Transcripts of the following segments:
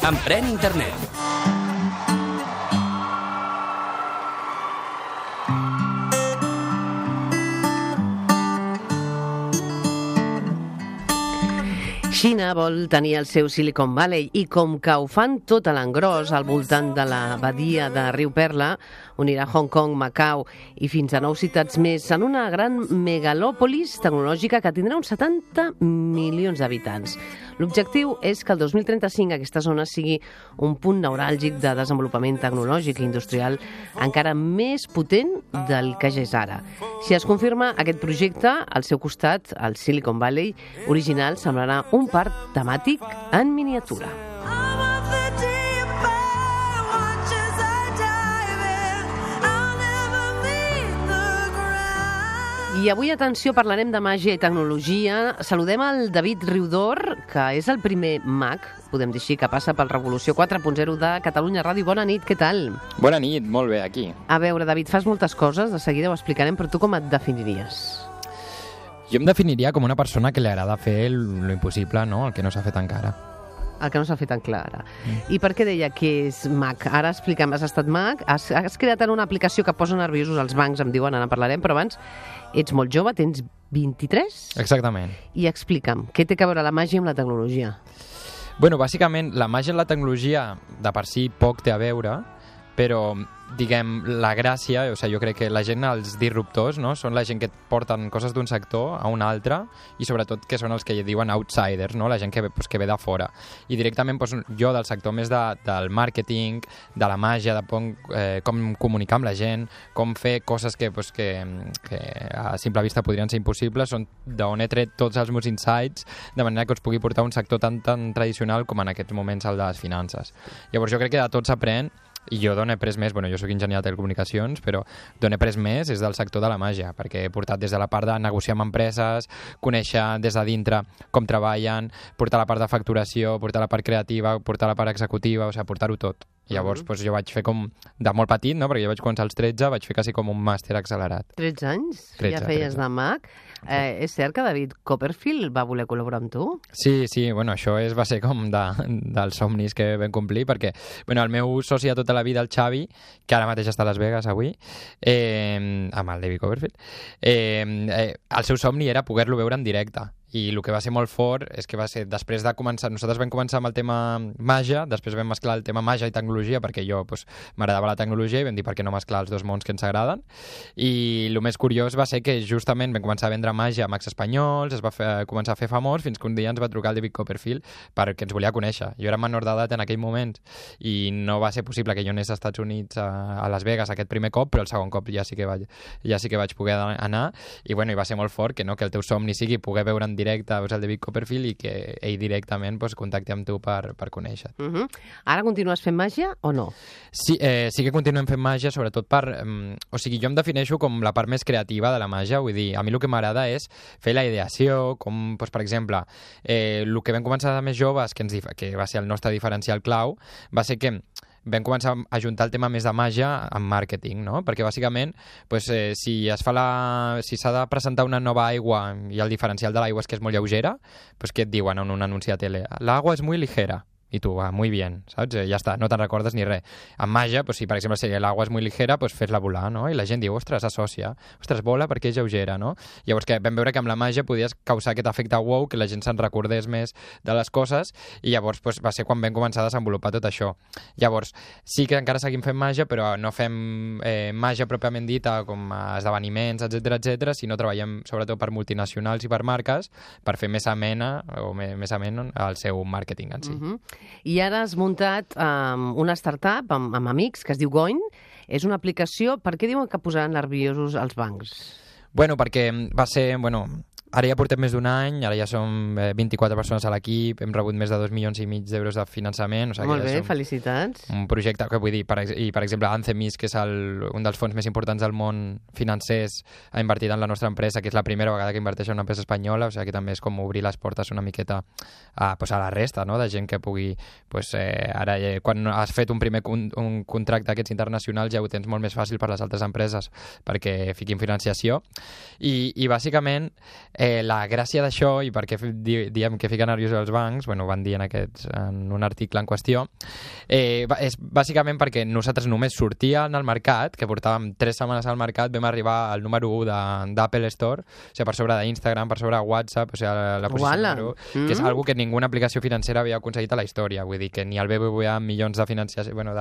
Emprèn Internet. Xina vol tenir el seu Silicon Valley i com que ho fan tot a l'engròs al voltant de la badia de Riu Perla, unirà Hong Kong, Macau i fins a 9 ciutats més en una gran megalòpolis tecnològica que tindrà uns 70 milions d'habitants. L'objectiu és que el 2035 aquesta zona sigui un punt neuràlgic de desenvolupament tecnològic i industrial encara més potent del que ja és ara. Si es confirma aquest projecte, al seu costat, el Silicon Valley original semblarà un parc temàtic en miniatura. I avui, atenció, parlarem de màgia i tecnologia. Saludem el David Riudor, que és el primer mag, podem dir així, que passa pel Revolució 4.0 de Catalunya Ràdio. Bona nit, què tal? Bona nit, molt bé, aquí. A veure, David, fas moltes coses, de seguida ho explicarem, però tu com et definiries? Jo em definiria com una persona que li agrada fer lo impossible, no? El que no s'ha fet encara. El que no s'ha fet encara. I per què deia que és mag? Ara explica'm, has estat mag, has creat en una aplicació que posa nerviosos els bancs, em diuen, ara en parlarem, però abans ets molt jove, tens 23? Exactament. I explica'm, què té a veure la màgia amb la tecnologia? Bueno, bàsicament, la màgia amb la tecnologia de per si poc té a veure, però diguem, la gràcia, o sigui, jo crec que la gent, els disruptors, no? Són la gent que porten coses d'un sector a un altre i sobretot que són els que diuen outsiders, no? La gent que ve de fora. I directament jo del sector més del màrqueting, de la màgia, de com comunicar amb la gent, com fer coses que a simple vista podrien ser impossibles, són d'on he tret tots els meus insights, de manera que us pugui portar un sector tan tradicional com en aquests moments el de les finances. Llavors jo crec que de tot s'aprèn. I jo d'on he pres més, jo soc enginyer de telecomunicacions, però d'on he pres més és del sector de la màgia, perquè he portat des de la part de negociar amb empreses, conèixer des de dintre com treballen, portar la part de facturació, portar la part creativa, portar la part executiva, o sigui, portar-ho tot. I llavors jo vaig fer com, de molt petit, no? Perquè jo vaig començar als 13, vaig fer quasi com un màster accelerat. 13 anys? 13, ja feies 13. De mag. És cert que David Copperfield va voler col·laborar amb tu? Sí, això va ser com dels somnis que vam complir, perquè el meu soci de tota la vida, el Xavi, que ara mateix està a Las Vegas avui, amb el David Copperfield, el seu somni era poder-lo veure en directe. I el que va ser molt fort és que va ser després de començar, nosaltres vam començar amb el tema màgia, després vam mesclar el tema màgia i tecnologia, perquè jo m'agradava la tecnologia i vam dir per què no mesclar els dos mons que ens agraden. I el més curiós va ser que justament vam començar a vendre màgia a Mags Espanyols, es va començar a fer famós, fins que un dia ens va trucar el David Copperfield perquè ens volia conèixer. Jo era menor d'edat en aquell moment i no va ser possible que jo anés als Estats Units a Las Vegas aquest primer cop, però el segon cop ja sí que vaig poder anar i va ser molt fort que el teu somni sigui poder veure en directe el David Copperfield i que ell directament contacti amb tu per conèixer. Ara continues fent màgia o no? Sí que continuem fent màgia, sobretot jo em defineixo com la part més creativa de la màgia, vull dir, a mi el que m'agrada és fer la ideació, com, per exemple, el que vam començar de més joves, que va ser el nostre diferencial clau, va ser que vam començar a juntar el tema més de màgia amb màrqueting, no? Perquè bàsicament si s'ha de presentar una nova aigua i el diferencial de l'aigua és que és molt lleugera, què et diuen en un anunci de tele? L'aigua és muy ligera. I tu, muy bien, saps? Ja està, no te'n recordes ni res. Amb màgia, si per exemple l'aigua és molt ligera, fes-la volar, no? I la gent diu, ostres, s'associa. Ostres, vola perquè és lleugera, no? Llavors vam veure que amb la màgia podies causar aquest efecte wow, que la gent se'n recordés més de les coses, i llavors va ser quan vam començar a desenvolupar tot això. Llavors, sí que encara seguim fent màgia, però no fem màgia pròpiament dita, com esdeveniments, etc, sinó treballem sobretot per multinacionals i per marques, per fer més amena el seu màrqueting en si. I ara has muntat una startup amb amics que es diu Goin. És una aplicació. Per què diuen que posaran nerviosos els bancs? Perquè va ser... Ara ja portem més d'un any, ara ja som 24 persones a l'equip, hem rebut més de 2,5 milions d'euros de finançament. Molt bé, felicitats. Un projecte que vull dir, per exemple, Anthemis, que és un dels fons més importants del món financers, ha invertit en la nostra empresa, que és la primera vegada que inverteix en una empresa espanyola, o sigui que també és com obrir les portes una miqueta a la resta, no? De gent que pugui... Ara, quan has fet un contracte d'aquests internacionals, ja ho tens molt més fàcil per les altres empreses perquè fiquin financiació. I bàsicament la gràcia d'això, i per què diem que fica nerviosos els bancs, bueno, van dir en un article en qüestió, és bàsicament perquè nosaltres només sortíem al mercat, que portàvem 3 setmanes al mercat, vam arribar al número 1 d'Apple Store, o sigui, per sobre d'Instagram, per sobre de WhatsApp, o sigui, la posició número 1, que és algo que ninguna aplicació financera havia aconseguit a la història, vull dir que ni el BBVA amb milions de financiació, bueno,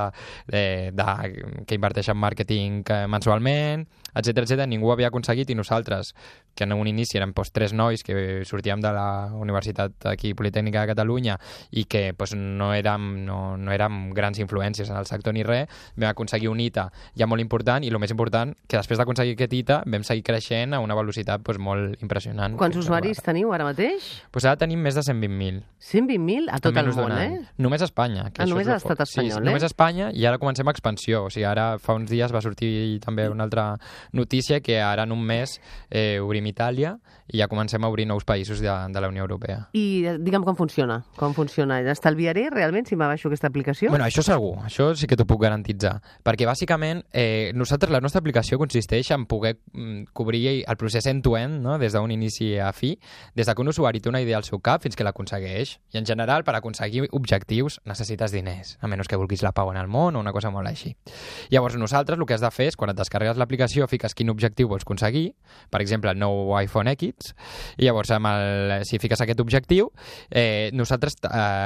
que inverteix en màrqueting mensualment, etc, ningú havia aconseguit, i nosaltres, que en un inici érem 3 nois que sortíem de la Universitat aquí Politècnica de Catalunya i que no érem grans influències en el sector ni res, vam aconseguir un hito ja molt important, i el més important, que després d'aconseguir aquest hito vam seguir creixent a una velocitat molt impressionant. Quants usuaris teniu ara mateix? Ara tenim més de 120.000. 120.000 a tot el món, Només a Espanya. Només a l'estat espanyol, sí, només a Espanya, i ara comencem expansió. O sigui, ara fa uns dies va sortir també una altra notícia que ara en un mes obrim Itàlia i ja comencem a obrir nous països de la Unió Europea. I digue'm com funciona. Com funciona? Estalviaré realment si m'abaixo aquesta aplicació? Bueno, això segur. Això sí que t'ho puc garantitzar. Perquè bàsicament la nostra aplicació consisteix en poder cobrir el procés end-to-end, no? Des d'un inici a fi, des que un usuari té una idea al seu cap fins que l'aconsegueix. I en general, per aconseguir objectius necessites diners, a menys que vulguis la pau en el món o una cosa molt així. Llavors nosaltres el que has de fer és, quan et descarregues l'aplicació, fiques quin objectiu vols aconseguir, per exemple el nou iPhone X, i llavors si fiques aquest objectiu, nosaltres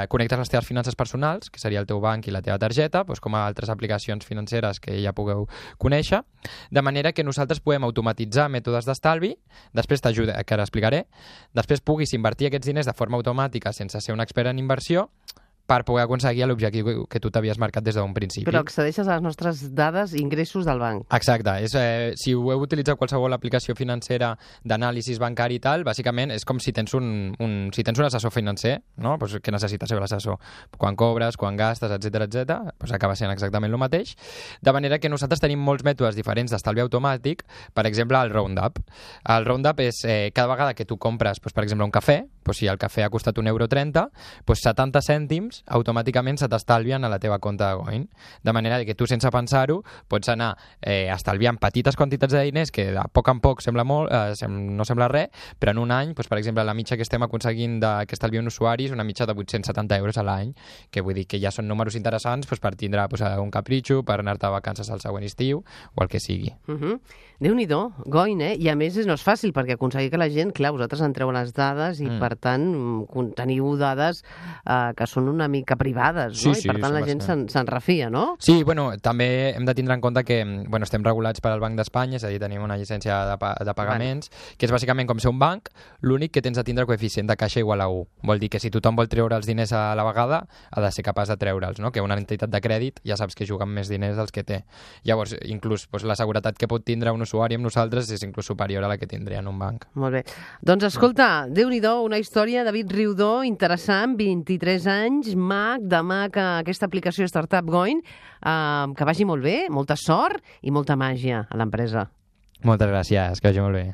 connectes les teves finances personals, que seria el teu banc i la teva targeta, com a altres aplicacions financeres que ja pugueu conèixer, de manera que nosaltres podem automatitzar mètodes d'estalvi, després t'ajuda, que ara explicaré, després puguis invertir aquests diners de forma automàtica sense ser un expert en inversió, per poder aconseguir l'objectiu que tu t'havies marcat des d'un principi. Però accedeixes a les nostres dades i ingressos del banc. Exacte. Si heu utilitzat qualsevol aplicació financera d'anàlisi bancari i tal, bàsicament és com si tens un assessor financer, no? Que necessites ser l'assessor. Quan cobres, quan gastes, etc, acaba sent exactament el mateix. De manera que nosaltres tenim molts mètodes diferents d'estalvi automàtic, per exemple, el Roundup. El Roundup és cada vegada que tu compres, per exemple, un cafè, si el cafè ha costat €1,30, 70 cèntims automàticament se t'estalvien a la teva compte de Goin. De manera que tu, sense pensar-ho, pots anar estalviant petites quantitats de diners que de poc en poc sembla molt, no sembla res, però en un any, per exemple, la mitja que estem aconseguint que estalvi un usuari és una mitja de 870 euros a l'any, que vull dir que ja són números interessants per tindre un capritxo, per anar-te a vacances al següent estiu o el que sigui. Déu-n'hi-do, Goin, I a més no és fàcil, perquè aconseguir que la gent, clar, vosaltres entreu les dades i per tant teniu dades que són una mica privades, no? I per tant la gent se'n refia, no? Sí, també hem de tindre en compte que estem regulats pel Banc d'Espanya, és a dir, tenim una llicència de pagaments, que és bàsicament com ser un banc, l'únic que tens de tindre coeficient de caixa igual a 1. Vol dir que si tothom vol treure els diners a la vegada, ha de ser capaç de treure'ls, no? Que una entitat de crèdit ja saps que juga amb més diners dels que té. Llavors, inclús la seguretat que pot tindre un usuari amb nosaltres és inclús superior a la que tindria en un banc. Molt bé. Doncs escolta, Déu-n'hi-do, una història, David Riudó, interessant, 23 anys, mag, aquesta aplicació Startup Goin, que vagi molt bé, molta sort i molta màgia a l'empresa. Moltes gràcies, que vagi molt bé.